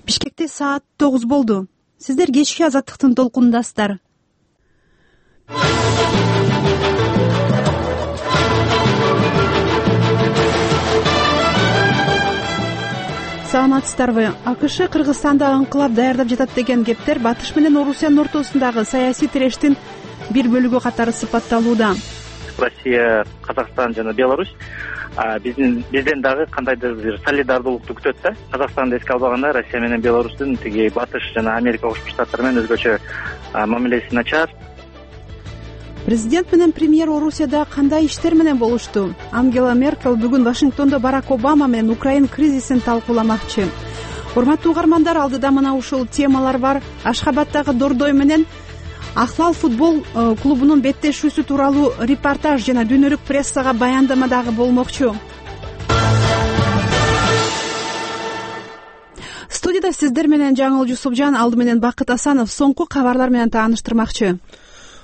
Бишкекте саат 9 болду. Сиздер кечки азаттыктын толкунундасыздар. Саламатсыздарбы? АКШ Кыргызстанда ыңкылап даярдап жатат деген кептер Батыш менен Орусиянын ортосундагы саясий тирештин бир бөлүгү катары сыпатталууда. Россия, Казакстан жана Беларусь бизден дагы кандайдыр бир солидардуулукту күтөт да. Казакстанды эске албаганда Россия менен Беларустун тиги Батыш жана Америка Кошмо Штаттары менен өзгөчө мамилеси начар. Президент менен премьер Орусияда кандай иштер менен болушту? Ангела Меркель бүгүн Вашингтондо Барак Обама менен Украин кризисин талкууламакчы. Урматтуу угармандар, алдыда мына ушул темалар бар. Ашхабаддагы Дордой менен Ахлал футбол клубунун беттешүүсү тууралуу репортаж жана дүйнөлүк прессага баяндама дагы болмокчу. Студияда сиздер менен Жаңыл Жусупжан, алды менен Бакыт Асанов соңку кабарлар менен тааныштырмакчы.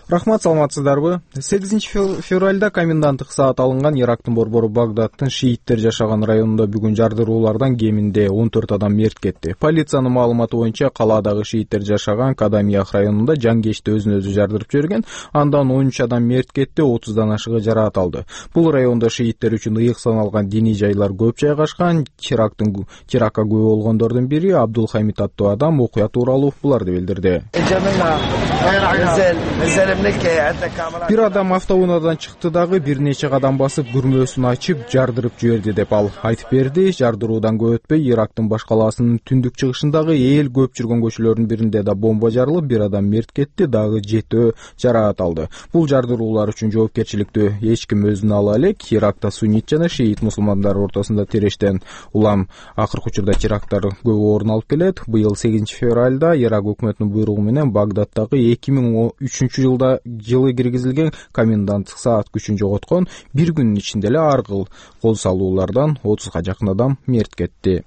Рахмат, саламатсыздарбы? 8 февралда коменданттык саат алынган Ирактын борбору Багдадтын шииттер жашаган районунда бүгүн жардыруулардан кеминде 14 адам мерт кетти. Полициянын маалыматы боюнча калаадагы шииттер жашаган Кадамиях районунда жангечти өзүн өзү жардырып жиберген, андан 13 адам мерт кетти, 30дан ашыгы жараат алды. Бул райондо шииттер үчүн ыйык саналган диний жайлар көп жайгашкан. Терактка күбө болгондордун бири Абдулхамид аттуу адам окуя тууралуу буларды билдирди. Бир адам автоунаадан чыкты дагы бир нече кадам басып күрмөөсүн ачып жардырып жиберди деп ал айтып берди. Жардыруудан көп өтпөй Ирактын баш калаасынын түндүк чыгышындагы эл көп жүргөн көчөлөрдүн биринде да бомба жарылып, бир адам мерт кетти, дагы 7 жараат алды. Бул жардыруулар үчүн жоопкерчиликти эч ким өзүнө ала элек. Иракта суннит жана шиит мусулмандар ортосунда тирештен улам акыркы учурда теракттар көп орун алып келет. Быйыл 8 февралда Ирак өкмөтүнүн буйругу менен Багдадтагы 2003 жылы киргизилген коменданттык саат күчүн жоготкон. Бир күнүн ичинде эле ар кыл кол салуулардан 30га жакын адам мерт кетти.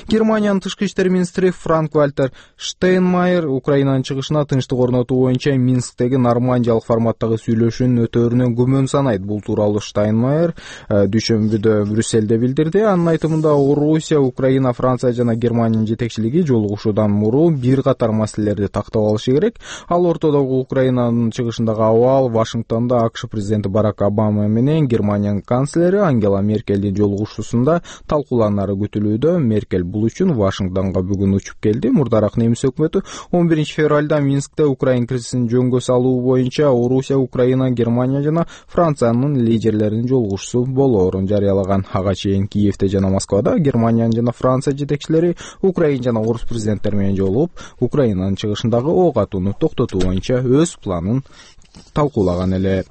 Германиянын тышкы иштер министри Франк-Вальтер Штейнмайер Украинанын чыгышына тынчтык орнотуу боюнча Минсктеги нормандиялык форматтагы сүйлөшүүнүн өтөөрүнө күмөн санайт. Бул тууралуу Штейнмайер дүйшөмбүдө Брюссельде билдирди. Анын айтымында Орусия, Украина, Франция жана Германиянын жетекчилиги жолугушуудан мурун бир катар маселелерди тактап алышы керек. Ал ортодогу Украинанын чыгышындагы абал, Вашингтондо АКШ президенти Барак Обама менен Германиянын канцлери Ангела Меркельдин жолугушуусунда талкууланары күтүлүүдө. Меркель бул үчүн Вашингтонго бүгүн учуп келди. Мурдараак немис өкмөтү 11 февралда Минскте Украин кризисин жөнгө салуу боюнча Орусия, Украина, Германия жана Франциянын лидерлеринин жолугушуусу болоорун жарыялаган. Ага чейин Киевте жана Москвада Германиянын жана Франция жетекчилери Украина жана Орус президенттери менен жолугуп, Украинанын чыгышындагы ок атууну токтотуу боюнча өз планын талкуулаган эле.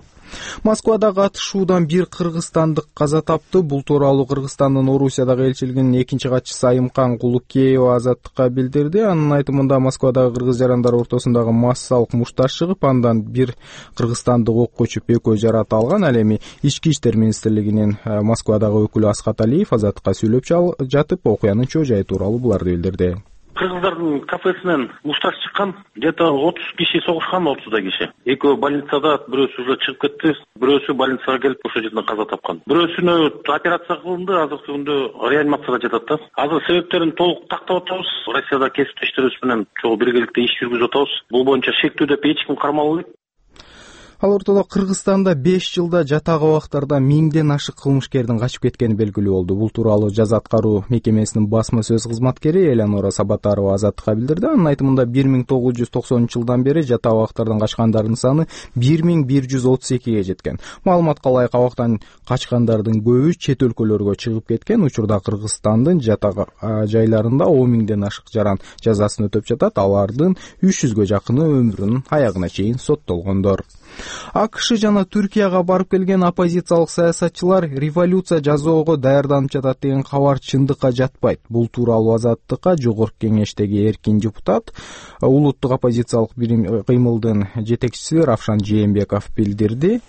Москвадагы атышуудан бир кыргызстандык каза тапты. Бул тууралуу Кыргызстандын Орусиядагы элчилигинин 2-катчысы Айымкан Кулукеева Азаттыкка билдирди. Анын айтымында Москвадагы кыргыз жарандар ортосундагы массалык мушташ чыгып, андан бир кыргызстандык окко чүп экөө жараат алган. Ал эми Ички иштер министрлигинин Москвадагы өкүлү Асхат Алиев Азаттыкка сүйлөп жатып, окуянын чоо жайы тууралуу буларды билдирди. Кыргыздардын кафесинен мушташ чыккан, где-то 30 киши согушкан, 30 киши. Экөө больницада, бирөөсү уже чыгып кетти, бирөөсү больницага келип ошол жерден каза тапкан. Бирөөсүнө операция кылынды, азыркы күндө реанимацияда жатат да. Азыр себептерин толук тактап атабыз. Россияда кесиптештерибиз менен чогуу биргеликте иш жүргүзүп атабыз. Бул боюнча шектүү деп эч ким кармалбайт. Ал ортодо Кыргызстанда 5 жылда жатак абактарда 1000ден ашык кылмышкердин качып кеткени белгилүү болду. Бул тууралуу жаза аткаруу мекемесинин басма сөз кызматкери Элеонора Сабатарова Азаттыкка билдирди. Анын айтымында 1990-жылдан бери жатак абактардан качкандардын саны 1132ге жеткен. Маалыматка ылайык, абактан качкандардын көбү чет өлкөлөргө чыгып кеткен. Учурда Кыргызстандын жатак жайларында 10.000ден ашык жаран жазасын өтөп жатат. Алардын 300ге жакыны өмүрүнүн аягына чейин соттолгондор. АКШ жана Түркияга барып келген оппозициялык саясатчылар революция жасоого даярданып жатат деген кабар чындыкка жатпайт. Бул тууралуу Азаттыкка Жогорку кеңештеги эркин депутат, улуттук оппозициялык кыймылдын жетекчиси Равшан Жээнбеков билдирди.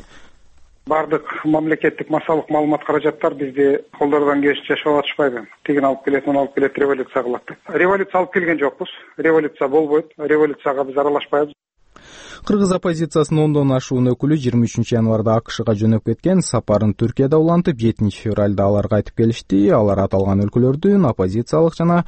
Бардык мамлекеттик массалык маалымат каражаттар бизди колдордон кеш жашап атышпайбы. Тигин алып келет, муну алып келет, революция кылат деп. Революция алып келген жокпуз. Революция болбойт. Революцияга биз аралашпайбыз. Кыргыз оппозициясынын 10дон ашуун өкүлү 23 январда АКШга жөнөп кеткен, сапарын Түркияда улантып, 7-февралда алар кайтып келишти. Алар аталган өлкөлөрдүн оппозициялык жана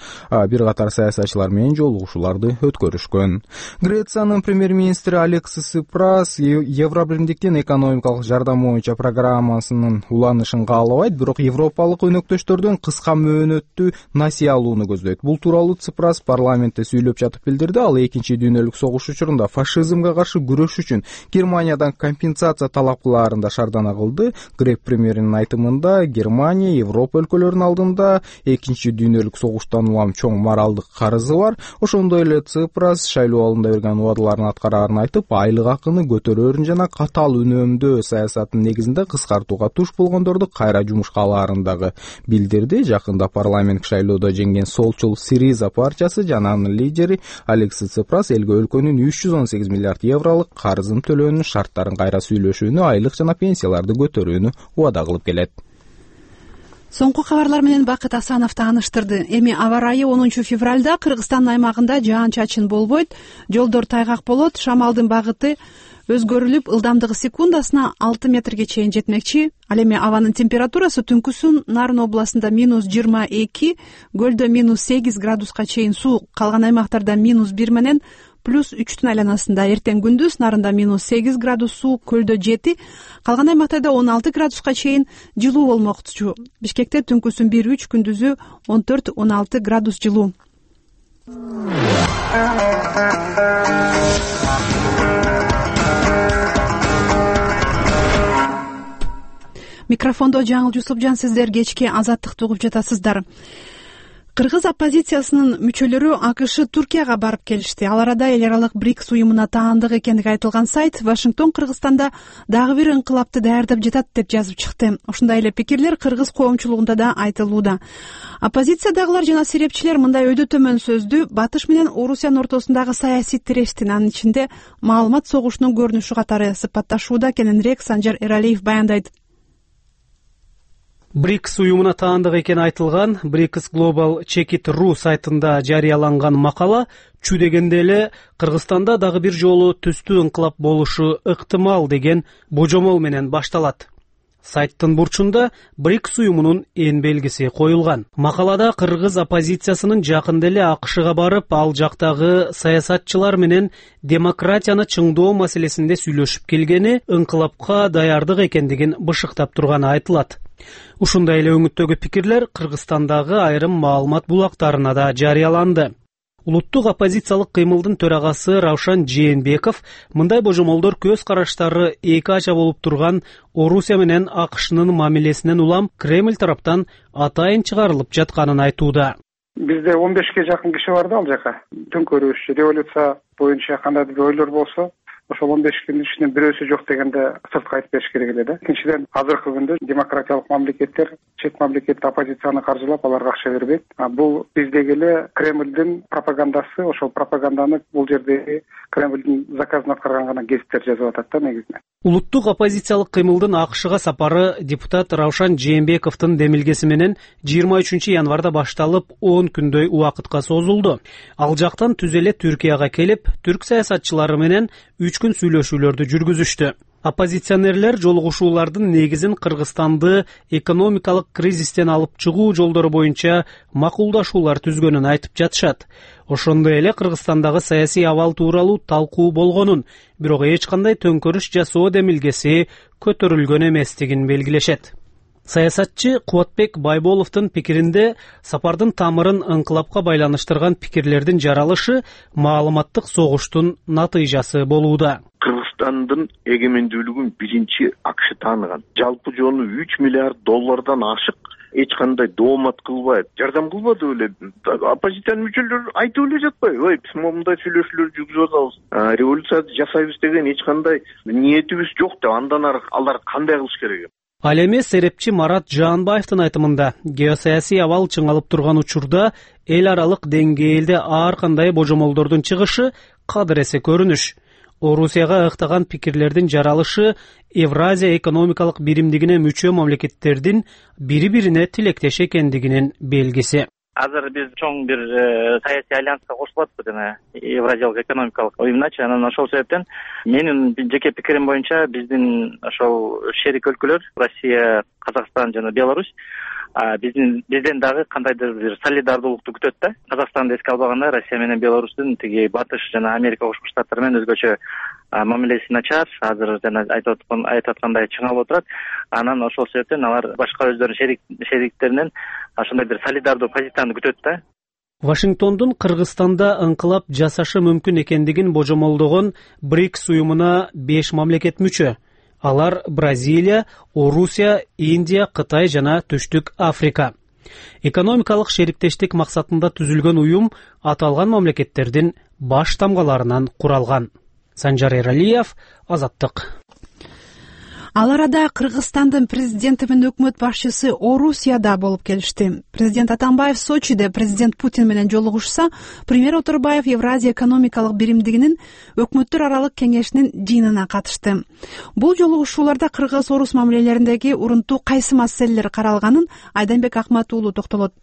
бир катар саясатчылар менен жолугушууларды өткөрүшкөн. Грециянын премьер-министри Алексис Ципрас Евробиримдиктин экономикалык жардам боюнча программасынын уланышын каалабайт, бирок европалык өнөктөштөрдөн кыска мөөнөттүү насыя алууну көздөйт. Бул тууралуу Ципрас парламентте сүйлөп жатып билдирди. Ал Экинчи дүйнөлүк согуш учурунда фашизмге каршы күрөш үчүн Германиядан компенсация талап кылаарында шаардана кылды. Грек премьеринин айтымында, Германия Европа өлкөлөрүнүн алдында Экинчи дүйнөлүк согуштан улам чоң моралдык карызы бар. Ошондой эле Ципрас шайлоо алдында берген убадаларын аткараарын айтып, айлык акыны көтөрөөрүн жана катаал үнөмдөө саясатынын негизинде кыскартууга туш болгондорду кайра жумушка алаарын дагы билдирди. Жакында парламенттик шайлоодо жеңген солчул Сириза партиясы жана анын лидери Алексис Ципрас элге өлкөнүн 318 миллиард евролук карызын төлөөнүн шарттарын кайра сүйлөшүүнү, айлык жана пенсияларды көтөрүүнү убада кылып келет. Соңку кабарлар менен Бакыт Асанов тааныштырды. Эми аба ырайы 10 февралда Кыргызстандын аймагында жаан-чачын болбойт, жолдор тайгак болот, шамалдын багыты өзгөрүлүп, ылдамдыгы секундасына 6 метрге чейин жетмекчи. Ал эми абанын температурасы түнкүсүн Нарын областында -22, көлдө -8 градуска чейин суук, калган аймактарда -1 менен +3 айланасында. Эртең күндүз Нарында -8 градус суук, көлдө 7, калган аймактарда 16 градуска чейин жылуу болмокчу. Бишкекте түнкүсүн 1-3, күндүзү 14-16 градус жылуу. Микрофондо Жаңыл Жусупжан, сиздер кечки Азаттыкты угуп жатасыздар. Кыргыз оппозициясынын мүчөлөрү АКШ Түркияга барып келишти. Ал арада эл аралык БРИКС уюмуна таандык экендиги айтылган сайт Вашингтон Кыргызстанда дагы бир ыңкылапты даярдап жатат деп жазып чыкты. Ушундай эле пикирлер кыргыз коомчулугунда да айтылууда. Оппозициядагылар жана серепчилер мындай өйдө төмөн сөздү Батыш менен Орусиянын ортосундагы саясий тирештин, анын ичинде маалымат согушунун көрүнүшү катары сыпатташууда, кененирээк Санжар Эралиев баяндайт. БРИКС уюмуна таандык экени айтылган BRICS Global Check-it.ru сайтында жарыяланган макала чү дегенде эле Кыргызстанда дагы бир жолу түстүү ыңкылап болушу ыктымал деген божомол менен башталат. Сайттын бурчунда БРИКС уюмунун эн белгиси коюлган. Макалада кыргыз оппозициясынын жакында эле АКШга барып, ал жактагы саясатчылар менен демократияны чыңдоо маселесинде сүйлөшүп келгени, ыңкылапка даярдык экендигин бышыктап турганы айтылат. Ушундай эле өңүттөгү пикирлер Кыргызстандагы айрым маалымат булактарына да жарыяланды. Улуттук оппозициялык кыймылдын төрагасы Раушан Жээнбеков мындай божомолдор көз караштары эки ача болуп турган Орусия менен АКШнын мамилесинен улам Кремль тараптан атайын чыгарылып жатканын айтууда. Бизде 15ке жакын киши бар да ал жака. Төңкөрүш, революция боюнча кандайдыр бир ойлор болсо, ошол 15 күндүн ичинен бирөөсү жок дегенде сыртка айтып бериш керек эле да. Экинчиден, азыркы күндө демократиялык мамлекеттер чет мамлекет оппозицияны каржылап, аларга акча бербейт. Бул биздеги эле Кремлдин пропагандасы, ошол пропаганданы бул жердеги Кремлдин заказын аткарган гана гезиттер жазып атат да негизинен. Улуттук оппозициялык кыймылдын АКШга сапары депутат Раушан Жээнбековдун демилгеси менен 23 январда башталып 10 күндөй убакытка созулду. Ал жактан түз эле Түркияга келип, түрк саясатчылары менен 3 күн сүйлөшүүлөрдү жүргүзүштү. Оппозиционерлер жолугушуулардын негизин Кыргызстанды экономикалык кризистен алып чыгуу жолдору боюнча макулдашуулар түзгөнүн айтып жатышат. Ошондой эле Кыргызстандагы саясий абал тууралуу талкуу болгонун, бирок эч кандай төңкөрүш жасоо демилгеси көтөрүлгөн эместигин белгилешет. Саясатчы Кубатбек Байболовдун пикиринде сапардын тамырын ыңкылапка байланыштырган пикирлердин жаралышы маалыматтык согуштун натыйжасы болууда. Кыргызстандын эгемендүүлүгүн биринчи АКШ тааныган. Жалпы жону 3 миллиард доллардан ашык, эч кандай доомат кылбайт, жардам кылбады эле. Оппозициянын мүчөлөрү айтып эле жатпайбы? Ой, биз мындай сүйлөшүүлөр жүргүзүп атабыз. Революцияны жасайбыз деген эч кандай ниетибиз жок деп, андан ары алар кандай кылыш керек? Ал эми серепчи Марат Жаанбаевдин айтымында, геосаясий абал чыңалып турган учурда эл аралык деңгээлде ар кандай божомолдордун чыгышы кадыресе көрүнүш. Орусияга ыктаган пикирлердин жаралышы Евразия экономикалык биримдигине мүчө мамлекеттердин бири-бирине тилектеш экендигинин белгиси. Азыр биз чоң бир саясий альянска кошулуп атпыз жана Евразиялык экономикалык уюмуначы. Анан ошол себептен менин жеке пикирим боюнча биздин ошол шерик өлкөлөр Россия, Казакстан жана Беларусь бизден дагы кандайдыр бир солидардуулукту күтөт да. Казакстанды эске албаганда Россия менен Беларустун тиги Батыш жана Америка Кошмо Штаттары менен өзгөчө мамилеси начар, азыр жана айтып аткандай чыңалып отурат. Анан ошол себептен алар башка өздөрүнүн шериктеринен ошондой бир солидардуу позицияны күтөт да. Вашингтондун Кыргызстанда ыңкылап жасашы мүмкүн экендигин божомолдогон БРИКС уюмуна 5 мамлекет мүчө. Алар Бразилия, Орусия, Индия, Кытай жана Түштүк Африка. Экономикалык шериктештик максатында түзүлгөн уюм аталган мамлекеттердин баш тамгаларынан куралган. Санжар Эралиев, Азаттык. Ал арада Кыргызстандын президенти менен өкмөт башчысы Орусияда болуп келишти. Президент Атамбаев Сочиде президент Путин менен жолугушса, премьер Оторбаев Евразия экономикалык биримдигинин өкмөттөр аралык кеңешинин жыйынына катышты. Бул жолугушууларда кыргыз-орус мамилелериндеги урунтуу кайсы маселелер каралганын Айданбек Акмат уулу токтолот.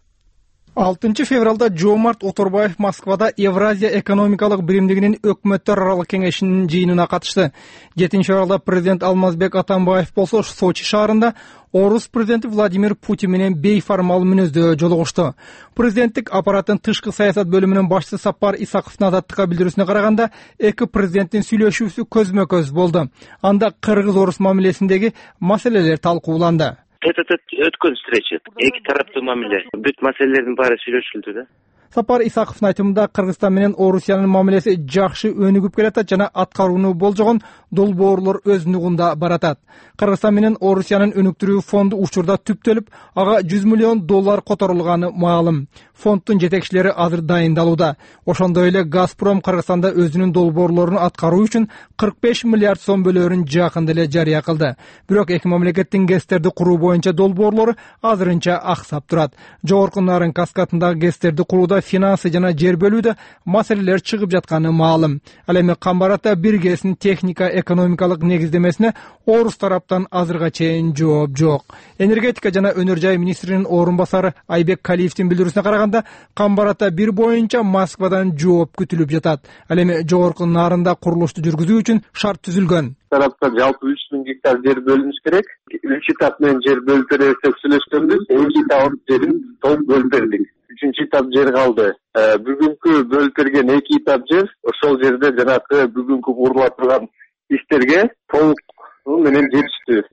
6 февралда Жомарт Оторбаев Москвада Евразия экономикалык биримдигинин өкмөттөр аралык кеңешинин жыйынына катышты. 7 февралда президент Алмазбек Атамбаев болсо Сочи шаарында Орус президенти Владимир Путин менен бейформал мүнөздө жолугушту. Президенттик аппараттын тышкы саясат бөлүмүнүн башчысы Сапар Исаковдун Азаттыкка билдирүүсүнө караганда, эки президенттин сүйлөшүүсү көзмө-көз болду. Анда кыргыз-орус мамилесиндеги маселелер талкууланды. Өткөн встреча. Эки тараптуу мамиле. Бүт маселелердин баары сүйлөшүлдү да. Сапар Исаковдун айтымында Кыргызстан менен Орусиянын мамилеси жакшы өнүгүп келатат жана аткарууну болжогон долбоорлор өз нугунда баратат. Кыргызстан менен Орусиянын өнүктүрүү фонду учурда түптөлүп, ага $100 миллион которулганы маалым. Фонддун жетекчилери азыр дайындалууда. Ошондой эле Газпром Кыргызстанда өзүнүн долбоорлорун аткаруу үчүн 45 миллиард сом бөлөөрүн жакында эле жарыя кылды. Бирок эки мамлекеттин ГЭСтерди куруу боюнча долбоорлору азырынча аксап турат. Жогорку Нарын каскадындагы ГЭСтерди курууда финансы жана жер бөлүүдө маселелер чыгып жатканы маалым. Ал эми Камбарата бир ГЭСтин техника экономикалык негиздемесине орус тараптан азырга чейин жооп жок. Энергетика жана өнөр жай министринин орун басары Айбек Калиевдин билдирүүсүнө караганда, Камбарата бир боюнча Москвадан жооп күтүлүп жатат. Ал эми жогорку Нарында курулушту жүргүзүү үчүн шарт түзүлгөн. Тарапта жалпы 3000 гектар жер бөлүнүш керек. 3 этап менен жер бөлүп беребиз деп сүйлөшкөнбүз. 2 этап жерин толук бөлүп бердик. 3-чү этап жер калды. Бүгүнкү бөлүп берген 2 этап жер ошол жерде жанагы бүгүнкү курула турган иштерге толук менен жетиштүү.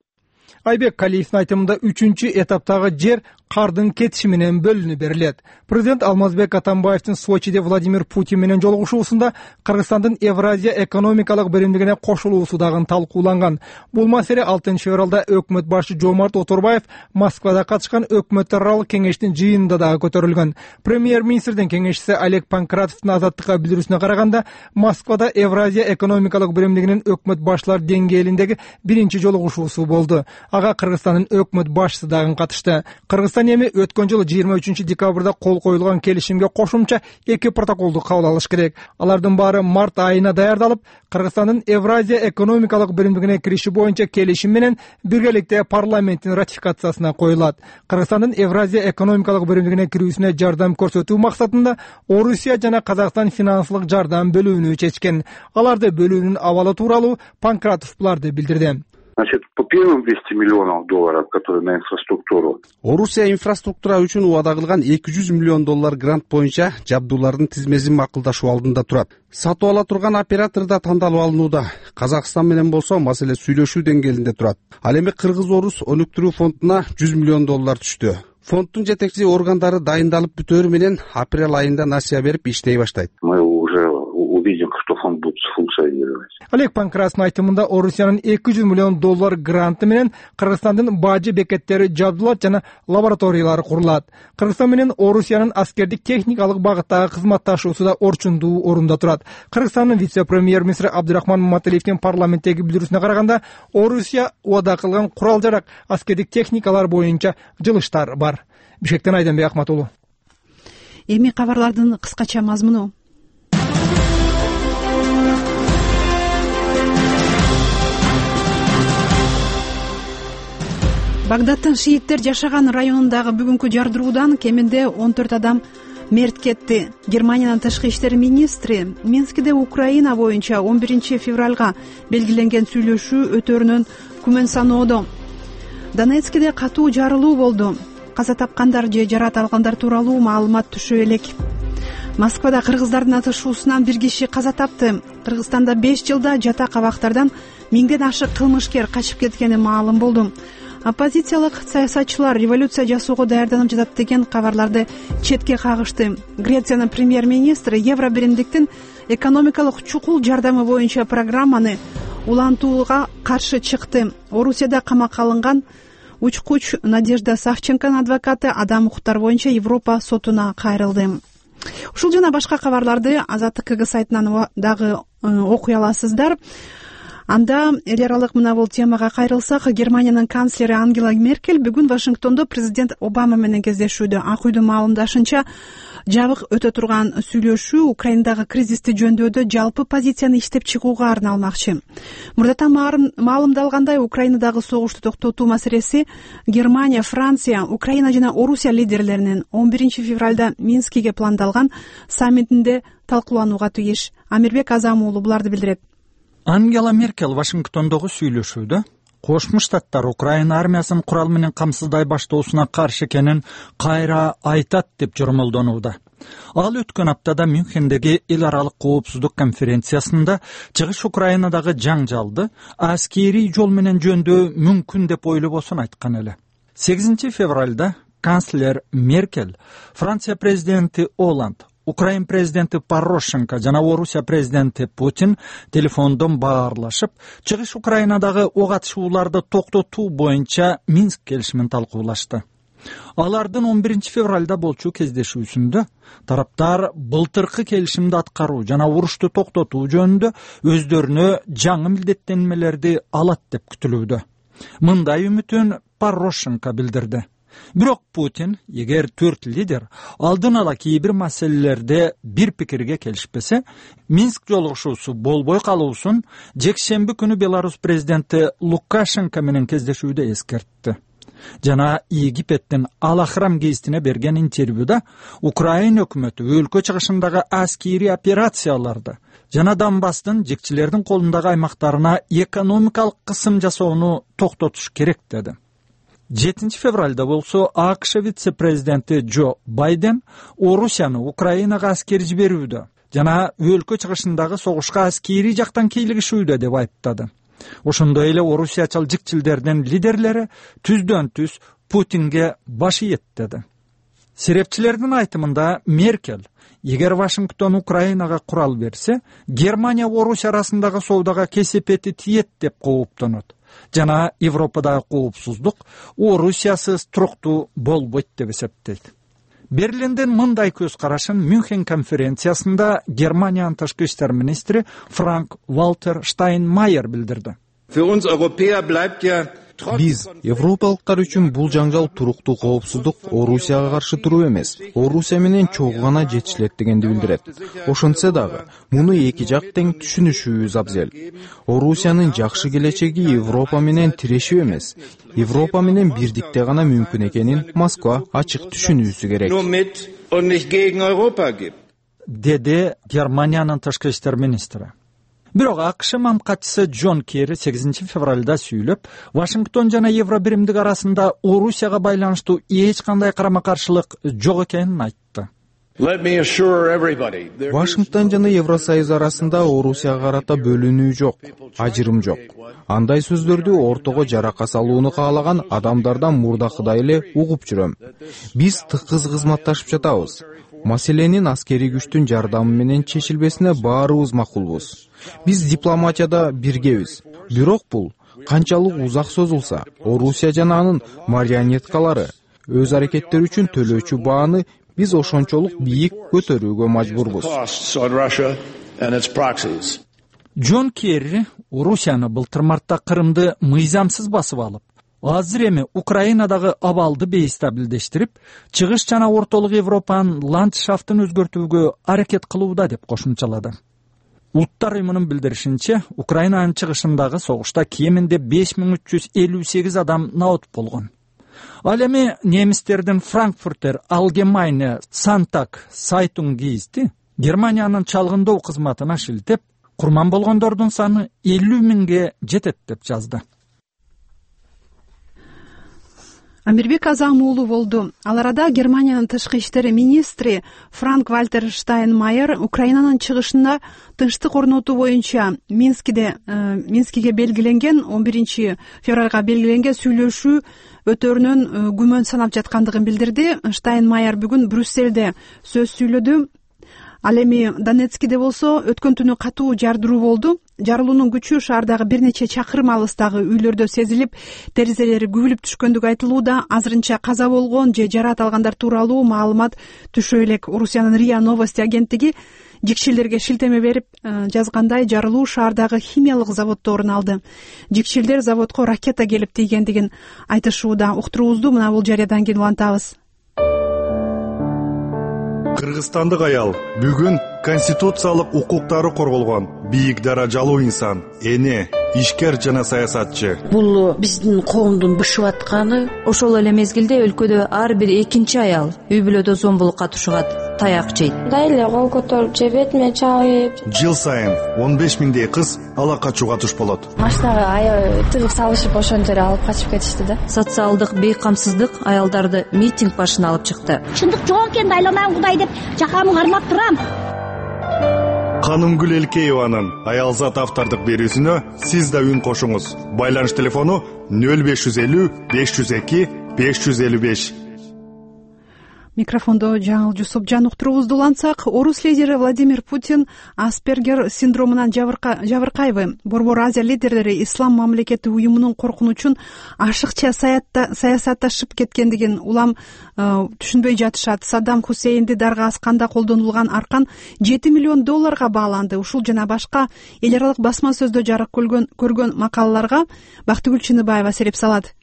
Айбек Калиевдин айтымында 3-чү этаптагы жер кардын кетиши менен бөлүнүп берилет. Президент Алмазбек Атамбаевдин Сочиде Владимир Путин менен жолугушуусунда Кыргызстандын Евразия экономикалык биримдигине кошулуусу дагы талкууланган. Бул маселе 6 февралда өкмөт башчы Жомарт Оторбаев Москвада катышкан өкмөттөр аралык кеңештин жыйынында дагы көтөрүлгөн. Премьер-министрдин кеңешчиси Олег Панкратовдун Азаттыкка билдирүүсүнө караганда, Москвада Евразия экономикалык биримдигинин өкмөт башчылар деңгээлиндеги биринчи жолугушуусу болду. Ага Кыргызстандын өкмөт башчысы дагы катышты. Кыргызстан эми өткөн жылы 23 декабрда кол коюлган келишимге кошумча 2 протоколду кабыл алыш керек. Алардын баары март айына даярдалып, Кыргызстандын Евразия экономикалык биримдигине кириши боюнча келишим менен биргеликте парламенттин ратификациясына коюлат. Кыргызстандын Евразия экономикалык биримдигине кирүүсүнө жардам көрсөтүү максатында Орусия жана Казакстан финансылык жардам бөлүүнү чечкен. Аларды бөлүүнүн абалы тууралуу Панкратов буларды билдирди. Значит, по первым $200 миллионов, которые на инфраструктуру. Орусия инфраструктура үчүн убада кылган $200 миллион грант боюнча жабдуулардын тизмесин макулдашуу алдында турат. Сатып ала турган оператор да тандалып алынууда. Казакстан менен болсо маселе сүйлөшүү деңгээлинде турат. Ал эми Кыргыз-Орус өнүктүрүү фондуна $100 миллион түштү. Фонддун жетекчи органдары дайындалып бүтөөрү менен апрель айында насыя берип иштей баштайт. Мы уже увидим, что фонд будет функционировать. Олег Панкратовдун айтымында Орусиянын $200 миллион гранты менен Кыргызстандын бажы бекеттери жабдылат жана лабораториялары курулат. Кыргызстан менен Орусиянын аскердик техникалык багыттагы кызматташуусу да орчундуу орунда турат. Кыргызстандын вице-премьер-министри Абдурахман Маталиевдин парламенттеги билдирүүсүнө караганда, Орусия убада кылган курал-жарак, аскердик техникалар боюнча жылыштар бар. Бишкектен Айданбек Акмат уулу. Эми кабарлардын кыскача мазмуну. Багдадтын шииттер жашаган районундагы бүгүнкү жардыруудан кеминде 14 адам мерт кетти. Германиянын тышкы иштер министри Минскиде Украина боюнча 11 февралга белгиленген сүйлөшүү өтөрүнөн күмөн саноодо. Донецкиде катуу жарылуу болду. Каза тапкандар же жарат алгандар тууралуу маалымат түшө элек. Москвада кыргыздардын атышуусунан 1 киши каза тапты. Кыргызстанда 5 жылда жатак абактардан 1000ден ашык кылмышкер качып кеткени маалым болду. Оппозициялык саясатчылар революция жасоого даярданып жатат деген кабарларды четке кагышты. Грециянын премьер-министри Евро биримдиктин экономикалык чукул жардамы боюнча программаны улантууга каршы чыкты. Орусияда камакка алынган учкуч Надежда Савченконун адвокаты адам укуктары боюнча Европа сотуна кайрылды. Ушул жана башка кабарларды Азаттык КГ сайтынан дагы окуй аласыздар. Анда эл аралык мына бул темага кайрылсак, Германиянын канцлери Ангела Меркель бүгүн Вашингтондо президент Обама менен кездешүүдө. Ак үйдүн маалымдашынча, жабык өтө турган сүйлөшүү Украинадагы кризисти жөндөдө жалпы позицияны иштеп чыгууга арналмакчы. Мурдатан маалымдалгандай, Украинадагы согушту токтотуу маселеси Германия, Франция, Украина жана Орусия лидерлеринин 11 февралда Минскиге пландалган саммитинде талкууланууга тийиш. Амирбек Азам уулу буларды билдирет. Ангела Меркель Вашингтондогу сүйлөшүүдө Кошмо Штаттар Украина армиясын курал менен камсыздай баштоосуна каршы экенин кайра айтат деп жормолдонууда. Ал өткөн аптада Мюнхендеги эл аралык коопсуздук конференциясында чыгыш Украинадагы жаңжалды аскерий жол менен жөндөө мүмкүн деп ойлобосун айткан эле. 8 февралда канцлер Меркель, Франция президенти Оланд, Украин президенти Порошенко жана Орусия президенти Путин телефондон баарлашып, чыгыш Украинадагы ок атышууларды токтотуу боюнча Минск келишимин талкуулашты. Алардын 11 февралда болчу кездешүүсүндө тараптар былтыркы келишимди аткаруу жана урушту токтотуу жөнүндө өздөрүнө жаңы милдеттенмелерди алат деп күтүлүүдө. Мындай үмүтүн Порошенко билдирди. Бирок Путин, эгер 4 лидер алдын ала кээ бир маселелерде бир пикирге келишпесе, Минск жолугушуусу болбой калуусун жекшемби күнү Беларусь президенти Лукашенко менен кездешүүдө эскертти. Жана Египеттин Ал-Ахрам гезитине берген интервьюда Украина өкмөтү өлкө чыгышындагы аскерий операцияларды жана Донбасстын жекчилердин колундагы аймактарына экономикалык кысым жасоону токтотуш керек деди. 7 февралда болсо АКШ вице-президенти Джо Байден Орусияны Украинага аскер жиберүүдө жана өлкө чыгышындагы согушка аскерий жактан кийлигишүүдө деп айыптады. Ошондой эле орусиячыл жикчилдердин лидерлери түздөн түз Путинге баш ийет деди. Серепчилердин айтымында Меркель, эгер Вашингтон Украинага курал берсе, Германия Орусия арасындагы соодага кесепети тиет деп кооптонот. Жана Европадагы коопсуздук Орусиясыз туруктуу болбойт деп эсептейт. Берлиндин мындай көз карашын Мюнхен конференциясында Германиянын тышкы иштер министри Франк Валтер Штайнмайер билдирди. Биз, европалыктар үчүн бул жаңжал туруктуу коопсуздук Орусияга каршы туруу эмес, Орусия менен чогуу гана жетишилет дегенди билдирет. Ошентсе дагы, муну эки жак тең түшүнүшүбүз абзел. Орусиянын жакшы келечеги Европа менен тирешүү эмес, Европа менен бирдикте гана мүмкүн экенин Москва ачык түшүнүүсү керек. Деди Германиянын тышкы иштер министри. Бирок АКШ мамкатчысы Джон Керри 8 февралда сүйлөп, Вашингтон жана Евро биримдик арасында Орусияга байланыштуу эч кандай карама-каршылык жок экенин айтты. Вашингтон жана Евросоюз арасында Орусияга карата бөлүнүү жок, ажырым жок. Андай сөздөрдү ортого жарака салууну каалаган адамдардан мурдакыдай эле угуп жүрөм. Биз тыкыз кызматташып жатабыз. Маселенин аскерий күчтүн жардамы менен чечилбесине баарыбыз макулбуз. Биз дипломатияда биргебиз. Бирок бул канчалык узак созулса, Орусия жана анын марионеткалары өз аракеттери үчүн төлөөчү бааны биз ошончолук бийик көтөрүүгө мажбурбуз. Джон Керри Орусияны былтыр мартта Крымды мыйзамсыз басып алып, азыр эми Украинадагы абалды бейстабилдештирип, чыгыш жана ортолук Европанын ландшафтын өзгөртүүгө аракет кылууда деп кошумчалады. Улуттар уюмунун билдиришинче, Украинанын чыгышындагы согушта кеминде 5358 адам наот болгон. Ал эми немистердин Frankfurter Allgemeine Sonntag Zeitung гезити Германиянын чалгындоо кызматына шилтеп, курман болгондордун саны 50 миңге жетет деп жазды. Амирбек Азам уулу болду. Ал арада Германиянын тышкы иштер министри Франк-Вальтер Штайнмайер Украинанын чыгышына тынчтык орнотуу боюнча Минскиге белгиленген 11 февралга белгиленген сүйлөшүү өтөрүнөн күмөн санап жаткандыгын билдирди. Штайнмайер бүгүн Брюссельде сөз сүйлөдү. Ал эми Донецкиде болсо өткөн түнү катуу жардыруу болду. Жарылуунун күчү шаардагы бир нече чакырым алыстагы үйлөрдө сезилип, терезелери күбүлүп түшкөндүгү айтылууда. Азырынча каза болгон же жараат алгандар тууралуу маалымат түшө элек. Орусиянын РИА Новости агенттиги жикшилдерге шилтеме берип жазгандай, жарылуу шаардагы химиялык заводдо орун алды. Жикшилдер заводко ракета келип тийгендигин айтышууда. Уктуруубузду мына бул жарыядан кийин улантабыз. Кыргызстандык аял бүгүн конституциялык укуктары корголгон бийик даражалуу инсан, эне, ишкер жана саясатчы. Бул биздин коомдун бышып атканы. Ошол эле мезгилде өлкөдө ар бир экинчи аял үй бүлөдө зомбулукка тушугат, таяк жейт. Дайле кол көтөрүп же бетиме чабып. Жыл сайын 15 миңдей кыз ала качууга туш болот. Машинага тыгып салышып ошон жерге алып качып кетишти да. Социалдык бейкамсыздык аялдарды митинг башына алып чыкты. Чындык жок экен, айланам Кудай деп жакамы кармап турам. Канымгүл Элкееванын аялзат автордук берүүсүнө сиз да үн кошуңуз. Байланыш телефону 0550 502 555. Микрофондо Жаңыл Жусупжан. Уктуруубузду улантсак, орус лидери Владимир Путин Аспергер синдромунан жабыркайбы? Борбор Азия лидерлери Ислам мамлекети уюмунун коркунучун ашыкча саясатташып кеткендигин улам түшүнбөй жатышат. Саддам Хусейнди дарга асканда колдонулган аркан $7 миллион бааланды. Ушул жана башка эл аралык басма сөздө жарык көргөн макалаларга Бактыгүл Чыныбаева сереп салат.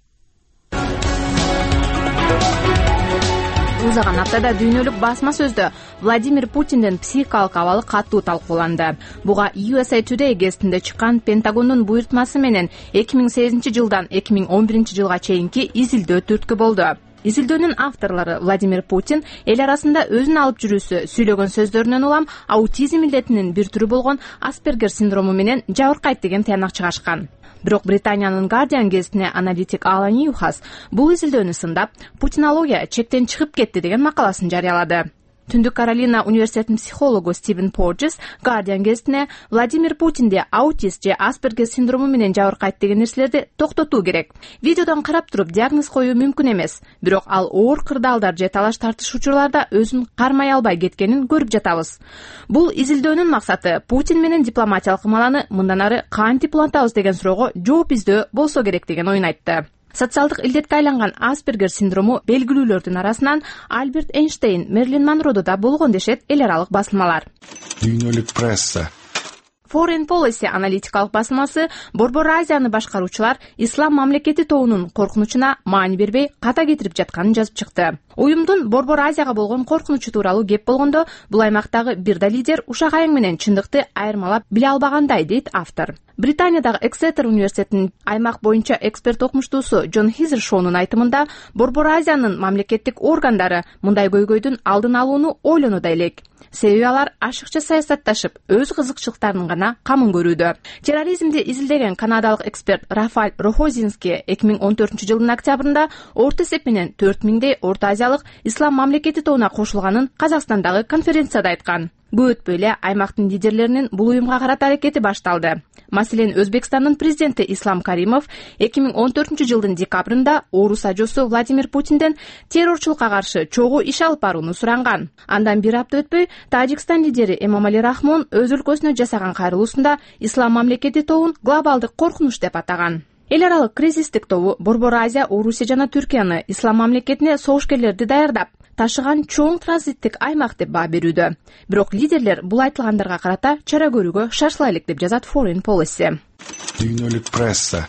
Узаган аптада дүйнөлүк басма сөздө Владимир Путиндин психикалык абалы катуу талкууланды. Буга USA Today гезитинде чыккан Пентагондун буйртмасы менен 2008 жылдан 2011 жылга чейинки изилдөө түрткү болду. Изилдөөнүн авторлору Владимир Путин эл арасында өзүн алып жүрүүсү, сүйлөгөн сөздөрүнөн улам аутизм илдетинин бир түрү болгон Аспергер синдрому менен жабыркайт деген тыянак чыгашкан. Бирок Британиянын Guardian гезитине аналитик Алан Ньюхас бул изилдөөнү сындап, путинология чектен чыгып кетти деген макаласын жарыялады. Түндүк Каролина университетинин психологу Стивен Порджес Guardian гезитине Владимир Путинди аутист же Аспергер синдрому менен жабыркайт деген нерселерди токтотуу керек. Видеодон карап туруп диагноз коюу мүмкүн эмес, бирок ал оор кырдаалдар же талаш тартыш учурларда өзүн кармай албай кеткенин көрүп жатабыз. Бул изилдөөнүн максаты Путин менен дипломатиялык кымаланы мындан ары кантип улантабыз деген суроого жооп издөө болсо керек деген оюн айтты. Социалдык илдетке айланган Аспергер синдрому белгилүүлөрдүн арасынан Альберт Эйнштейн, Мерлин Монродо да болгон дешет эл аралык басылмалар. Дүйнөлүк пресса. Foreign Policy аналитикалык басылмасы Борбор Азияны башкаруучулар Ислам мамлекети тобунун коркунучуна маани бербей ката кетирип жатканын жазып чыкты. Уюмдун Борбор Азияга болгон коркунучу тууралуу кеп болгондо, бул аймактагы бир да лидер ушак айың менен чындыкты айырмалап биле албагандай, дейт автор. Британиядагы Эксетер университетинин аймак боюнча эксперт окумуштуусу Джон Хизершоунун айтымында, Борбор Азиянын мамлекеттик органдары мындай көйгөйдүн алдын алууну ойлонууда элек. Себеби алар ашыкча саясатташып, өз кызыкчылыктарынын гана камын көрүүдө. Терроризмди изилдеген канадалык эксперт Рафаль Рохозинский 2014 жылдын октябрында орто эсеп менен 4000дей Орто Азиялык Ислам мамлекети тобуна кошулганын Казакстандагы конференцияда айткан. Көп өтпөй эле аймактын лидерлеринин бул уюмга карата аракети башталды. Маселен, Өзбекстандын президенти Ислам Каримов 2014 жылдын декабрында орус ажоосу Владимир Путинден террорчулукка каршы чогуу иш алып барууну суранган. Андан бир апта өтпөй Тажикстан лидери Эмомали Рахмон өз өлкөсүнө жасаган кайрылуусунда Ислам мамлекети тобун глобалдык коркунуч деп атаган. Эл аралык кризистик тобу Борбор Азия, Орусия жана Түркияны Ислам мамлекетине согушкерлерди даярдап, ташыган чоң транзиттик аймак деп баа берүүдө. Бирок лидерлер бул айтылгандарга карата чара көрүүгө шашыла элек деп жазат Foreign Policy. Дүйнөлүк пресса.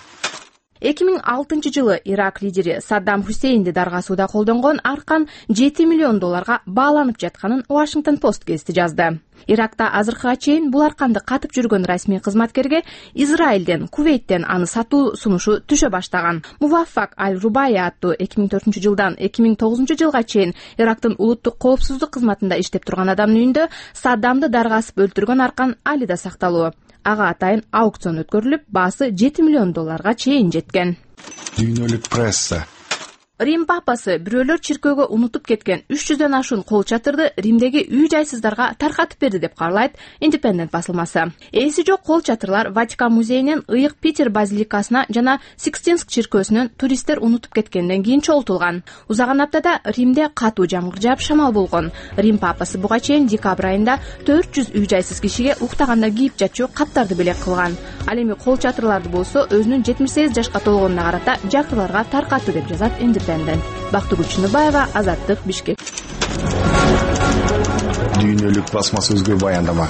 2006-жылы Ирак лидери Саддам Хусейнди даргасууда колдонгон аркан $7 миллион бааланып жатканын Washington Post гезити жазды. Иракта азыркыга чейин бул арканды катып жүргөн расмий кызматкерге Израилден, Кувейттен аны сатуу сунушу түшө баштаган. Муваффак Аль-Рубая аттуу 2004-жылдан 2009-жылга чейин Ирактын улуттук коопсуздук кызматында иштеп турган адамдын үйүндө Саддамды даргасып өлтүргөн аркан али да сакталуу. Ага атайын аукцион өткөрүлүп, баасы $7 миллион чейин жеткен. Дүйнөлүк пресса. Рим папасы бирөөлөр чиркөөгө унутуп кеткен 300дөн ашуун кол чатырды Римдеги үй-жайсыздарга таркатып берди деп кабарлайт Independent басылмасы. Эси жок кол чатырлар Ватикан музейинен Ыйык Питер базиликасына жана Сикстинск чиркөөсүнөн туристтер унутуп кеткенден кийин чогултулган. Узаган аптада Римде катуу жамгыр жаап шамал болгон. Рим папасы буга чейин декабрь айында 400 үй-жайсыз кишиге уктаганда кийип жатчу каптарды белек кылган. Ал эми кол чатырларды болсо өзүнүн 78 жашка толгонуна карата жакырларга таркатты деп жазат Бактыгүл Чыныбаева, Азаттык, Бишкек. Дүйнөлүк басма сөзгө баяндама.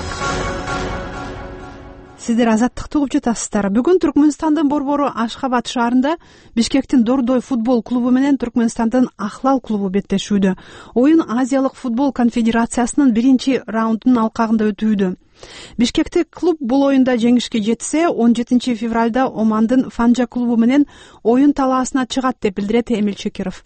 Сиздер Азаттыкты угуп жатасыздар. Бүгүн Түркмөнстандын борбору Ашхабад шаарында Бишкектин Дордой футбол клубу менен Түркмөнстандын Ахлал клубу беттешүүдө. Оюн Азиялык футбол конфедерациясынын 1-раундунун алкагында өтүүдө. Бишкектик клуб бул оюнда жеңишке жетсе, 17 февралда Омандын Фанжа клубу менен оюн талаасына чыгат деп билдирет Эмил Чекиров.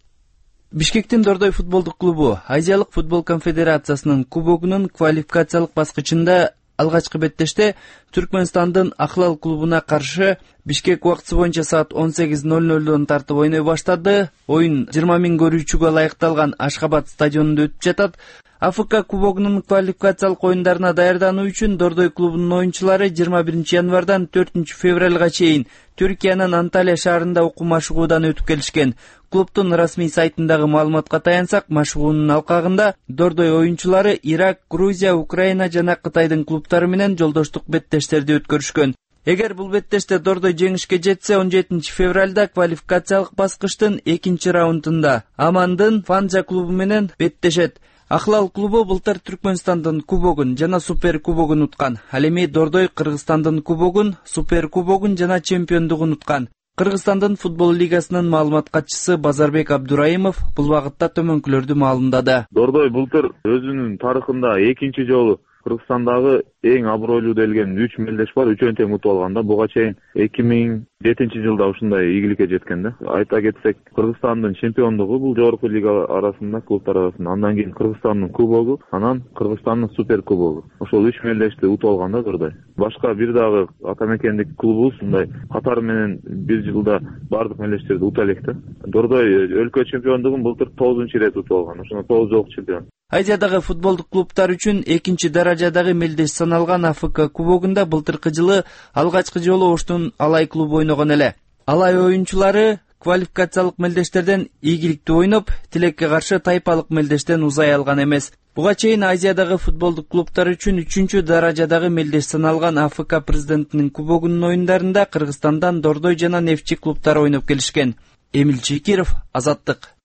Бишкектин Дордой футболдук клубу Азиялык футбол конфедерациясынын кубогунун квалификациялык баскычында алгачкы беттеште Түркмөнстандын Ахлал клубуна каршы Бишкек убактысы боюнча саат 18:00 тартып ойной баштады. Оюн 20 000 көрүүчүгө ылайыкталган Ашхабад стадионунда өтүп жатат. АФК кубогунун квалификациялык оюндарына даярдануу үчүн Дордой клубунун оюнчулары 21 январдан 4 февралга чейин Түркиянын Анталия шаарында окуу машыгуудан өтүп келишкен. Клубтун расмий сайтындагы маалыматка таянсак, машыгуунун алкагында Дордой оюнчулары Ирак, Грузия, Украина жана Кытайдын клубтары менен жолдоштук беттештерди өткөрүшкөн. Эгер бул беттеште Дордой жеңишке жетсе, 17 февралда квалификациялык баскычтын 2-раундунда Амандын Фанжа клубу менен беттешет. Ахлал клубу былтыр Түркмөнстандын кубогун жана супер кубогун уткан. Ал эми Дордой Кыргызстандын кубогун, супер кубогун жана чемпиондугун уткан. Кыргызстандын футбол лигасынын маалымат катчысы Базарбек Абдураимов бул багытта төмөнкүлөрдү маалымдады. Дордой былтыр өзүнүн тарыхында 2 жолу Кыргызстандагы эң абройлуу делген 3 мелдеш бар, 3-өн тең утуп алганда. Буга чейин 2007-жылда ушундай ийгиликке жеткен да. Айта кетсек, Кыргызстандын чемпиондугу бул жогорку лига арасында, клубтар арасында. Андан кийин Кыргызстандын кубогу, анан Кыргызстандын супер кубогу. Ошол 3 мелдешти утуп алганда Дордой. Башка бир дагы ата мекендик клубубуз ушундай катары менен бир жылда бардык мелдештерди утуп элек да. Дордой өлкө чемпиондугун былтыр 9-рет утуп алган. Ошондо 9 жолку чемпион. Азиядагы футболдук клубтар үчүн 2-даражадагы мелдеш саналган АФК кубогунда былтыркы жылы алгачкы жолу Оштун Алай клубу ойногон эле. Алай оюнчулары квалификациялык мелдештерден ийгиликтүү ойноп, тилекке каршы тайпалык мелдештен узай алган эмес. Буга чейин Азиядагы футболдук клубтар үчүн 3-даражадагы мелдеш саналган АФК президентинин кубогунун оюндарында Кыргызстандан Дордой жана Нефчи клубтары ойноп келишкен. Эмил Чекиров, Азаттык.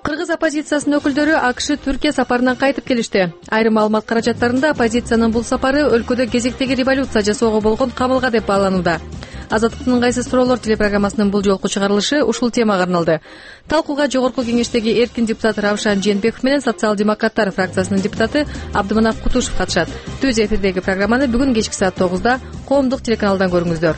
Кыргыз оппозициясынын өкүлдөрү АКШ Түркия сапарынан кайтып келишти. Айрым маалымат каражаттарында оппозициянын бул сапары өлкөдө кезектеги революция жасоого болгон камылга деп бааланууда. Азаттыктын ыңгайсыз суроолор телепрограммасынын бул жолку чыгарылышы ушул темага арналды. Талкууга жогорку кеңештеги эркин депутат Равшан Жээнбеков менен социал-демократтар фракциясынын депутаты Абдыманап Кутушев катышат. Түз эфирдеги программаны бүгүн кечки саат 9-да коомдук телеканалдан көрүңүздөр.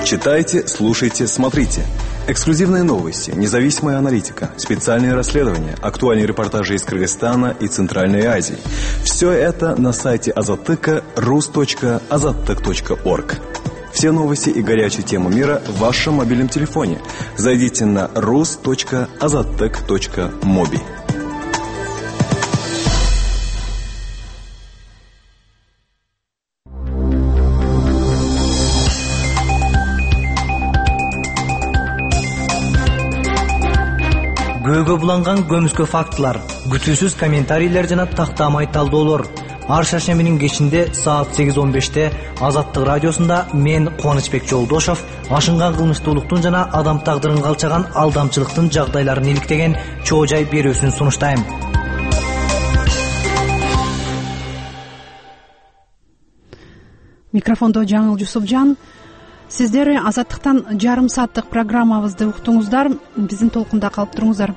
Читайте, слушайте, смотрите. Эксклюзивные новости, независимая аналитика, специальные расследования, актуальные репортажи из Кыргызстана и Центральной Азии. Все это на сайте Азаттыка rus.azattyk.org. Все новости и горячие темы мира в вашем мобильном телефоне. Зайдите на rus.azattyk.mobi. Көөгө буланган көмүскө фактылар, күтүүсүз комментарийлер жана тактамай талдоолор. Ар шаршембинин кечинде саат 8:15 Азаттык радиосунда мен Кубанычбек Жолдошов ашынган кылмыштуулуктун жана адам тагдырын калчаган алдамчылыктын жагдайларын иликтеген чоо жай берүүсүн сунуштайм. микрофондо Жаңыл Жусупжан. Сиздер Азаттыктан жарым сааттык программабызды уктуңуздар. Биздин толкунда калып туруңуздар.